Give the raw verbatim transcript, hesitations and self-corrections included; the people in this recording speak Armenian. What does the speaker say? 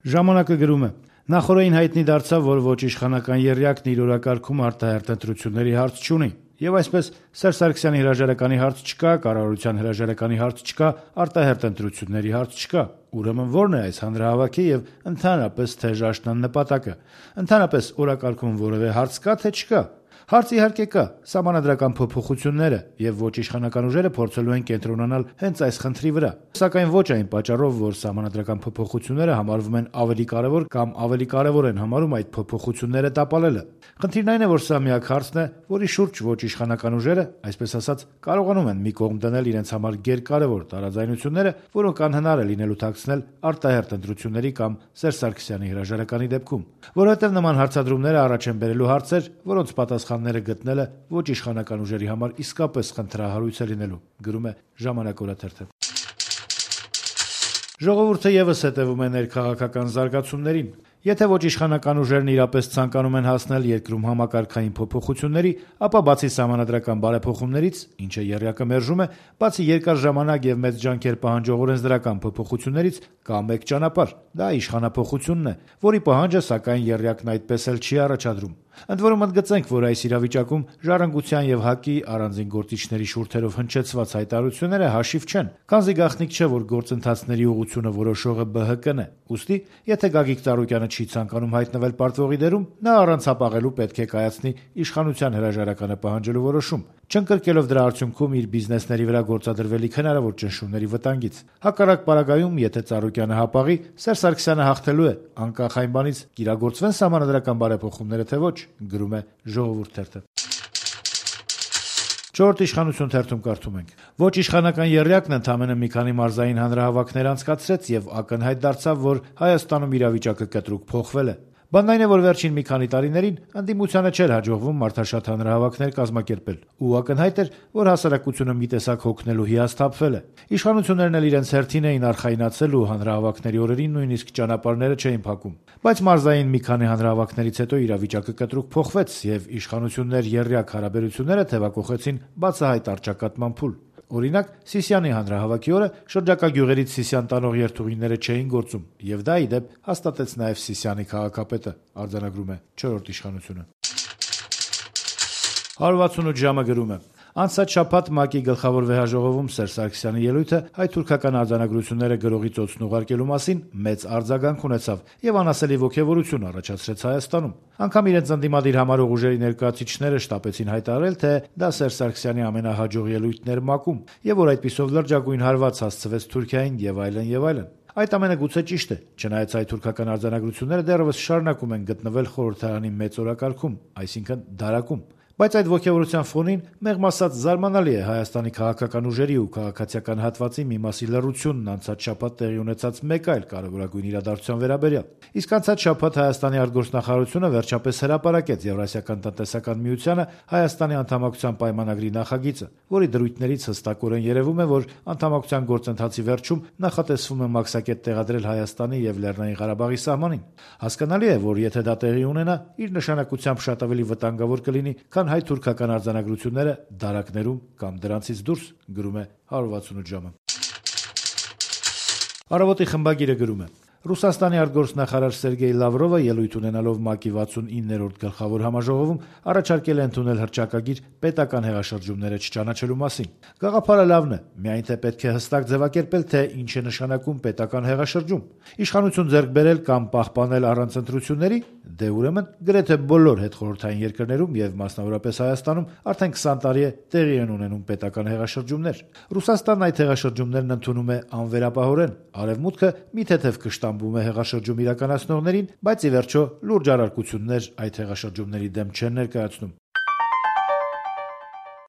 Ժամանակը գրում է. նախորդին հայտնի դարձավ, որ ոչ իշխանական եռյակն իր օրակարգում արտահերթ ընտրությունների հարց չունի, եւ այսպես Սերժ Սարգսյանի հրաժարականի հարց չկա, կառավարության հրաժարականի հարց չկա, արտահերթ ընտրությունների հարց չկա։ Ուրեմն ո՞րն է այս հանրահավաքի եւ ընդհանրապես թեժ աշնան նպատակը։ Ընդհանրապես օրակարգում որևէ հարց կա, թե չկա։ Հարց իհարկե կա, սահմանադրական փոփոխությունները, եւ ոչ իշխանական ուժերը փորձելու են կենտրոնանալ հենց այս խնդրի վրա, սակայն ոչ այն պատճառով, որ սահմանադրական փոփոխությունները համարվում են ավելի կարեւոր կամ ավելի կարեւոր են համարում այդ փոփոխությունները տապալելը։ Խնդիրն այն է, որ սա միակ հարցն է, որի շուրջ ոչ իշխանական ուժերը, այսպես ասած, կարողանում են մի կողմ դնել իրենց համար գերկարևոր տարաձայնությունները, որոնք անհնար է լինելու թաքցնել արտահերթ ընտրությունների կամ Սերժ Սարգսյանի հրաժարականի դեպքում, որովհետեւ նման հարցադրումները առաջ են բերելու հարցեր, որոնց պատասխանները գտնելը ոչ իշխանական ուժերի համար իսկապես խնդրահարույց է լինելու, գրում է Ժամանակ օրաթերթը։ Ժողովուրդը եւս հետեւում է ներքաղաքական զարգացումներին։ Եթե ոչ իշխանական ուժերն իրապես ցանկանում են հասնել երկրում համակարգային փոփոխությունների, ապա բացի սահմանադրական բարեփոխումներից, ինչը եռյակը մերժում է, բացի երկար ժամանակ եւ մեծ ջանքեր պահանջող օրենսդրական փոփոխություններից, կա մեկ ճանապարհ՝ դա իշխանափոխությունն է, որի պահանջը սակայն եռյակն այդպես էլ չի առաջադրում։ Ընդ որում ընդգծենք, որ այս իրավիճակում Ժառանգության եւ ՀԱԿ-ի առանձին գործիչների շուրթերով հնչեցված հայտարարությունները հաշիվ չեն, քանզի գաղտնիք չէ, որ գործընթացների ուղղությունը որոշողը Բ Հ Կն է։ Ուստի, եթե Գագիկ Ծառուկյանը չի ցանկանում հայտնվել պարտվողի դերում, նա առանց հապաղելու պետք է կայացնի իշխանության հրաժարականը պահանջելու որոշում, չընկրկելով դրա արդյունքում իր բիզնեսների վրա գործադրվելիք հնարավոր ճնշումների վտանգից։ Հակառակ պարագայում, եթե Ծառուկյանը հապաղի, Սերժ Սարգսյանը հաղթելու է, անկախ այն բանից կիրագործվեն սահմանադրական բարեփոխումները թե ոչ, գրում է Ժողովուրդ թերթը։ Չորրորդ իշխանություն թերթում կարդում ենք. ոչ իշխանական եռյակն ընդամենը մի քանի մարզային հանրահավաքներ անցկացրեց եւ ակնհայտ դարձավ, որ Հայաստանում իրավիճակը կտրուկ փոխվել է։ Բանն այն է, որ վերջին մի քանի տարիներին ընդդիմությանը չէր հաջողվում մարդաշատ հանրահավաքներ կազմակերպել, ու ակնհայտ էր, որ հասարակությունը մի տեսակ հոգնելու հիասթափվել է։ Իշխանություններն էլ իրենց հերթին էին արխայնացել ու հանրահավաքների օրերին նույնիսկ ճանապարհները չէին փակում։ Բայց մարզային մի քանի հանրահավաքներից հետո իրավիճակը կտրուկ փոխվեց եւ իշխանություններ-եռյակ հարաբերությունները թեւակոխեցին բացահայտ առճակատման փուլ։ Օրինակ, Սիսիանի հանրահավաքի օրը շրջակա գյուղերից Սիսիան տանող երթուղիները չէին գործում, եւ դա ի դեպ հաստատեց նաեւ Սիսիանի քաղաքապետը, արձանագրում է չորրորդ իշխանությունը։ հարյուր վաթսունութ ժամը գրում է. Անցած շաբաթ ՄԱԿ-ի գլխավոր վեհաժողովում Սերժ Սարգսյանի ելույթը հայ-թուրքական արձանագրությունները գրողի ծոցն ուղարկելու մասին մեծ արձագանք ունեցավ եւ անասելի ոգեւորություն առաջացրեց Հայաստանում։ Անգամ իրենց ընդդիմադիր համարող ուժերի ներկայացուցիչները շտապեցին հայտարարել, թե դա Սերժ Սարգսյանի ամենահաջող ելույթն էր ՄԱԿ-ում եւ որ այդպիսով լրջագույն հարված հասցվեց Թուրքիային եւ այլն եւ այլն։ Այդ ամենը գուցե ճիշտ է, չնայած հայ-թուրքական արձանագրությունները դեռևս շարունակում են գտնվել խորհրդարանի մեծ օրակարգում, այսինքն դարակում։ Բայց այդ ոգևորության ֆոնին մեղմ ասած զարմանալի է Հայաստանի քաղաքական ուժերի ու քաղաքացիական հատվածի մի մասի լռությունն անցած շաբաթ տեղի ունեցած մեկ այլ կարևորագույն իրադարձության վերաբերյալ։ Իսկ անցած շաբաթ Հայաստանի արտգործնախարարությունը վերջապես հրապարակեց Եվրասիական տնտեսական միությանը Հայաստանի անդամակցության պայմանագրի նախագիծը, որի դրույթներից հստակորեն երևում է, որ անդամակցության գործընթացի վերջում նախատեսվում է մաքսակետ տեղադրել Հայաստանի եւ Լեռնային Ղարաբաղի սահմանին։ Հասկանալի է, որ եթե դա տեղի ունենա, իր նշանակությամբ շատ ավելի վտանգավոր կլինի, քան հայ-թուրքական արձանագրությունները դարակներում կամ դրանցից դուրս, գրում է հարյուր վաթսունութ ժամը։ Առավոտի խմբագիրը գրում է. Ռուսաստանի արտգործնախարար Սերգեյ Լավրովը ելույթ ունենալով ՄԱԿ-ի վաթսունիններորդ գլխավոր համաժողովում առաջարկել է ընդունել հռչակագիր պետական հեղաշրջումները չճանաչելու մասին։ Գաղափարը լավն է, միայն թե պետք է հստակ ձևակերպել, թե ինչ է նշանակում պետական հեղաշրջում։ Իշխանություն ձեռք բերել կամ պահպանել առանց ընտրությունների, դե ուրեմն գրեթե բոլոր հետխորհրդային երկրներում եւ մասնավորապես Հայաստանում արդեն քսան տարի է տեղի են ունենում պետական հեղաշրջումներ։ Ռուսաստանն այդ հեղաշրջումներն ընդունում է անվերապահորեն, արևմուտքը մի թեթև կշտամբում է հեղաշրջում իրականացնողներին, բայց ի վերջո լուրջ առարկություններ այդ հեղաշրջումների դեմ չեն ներկայացնում։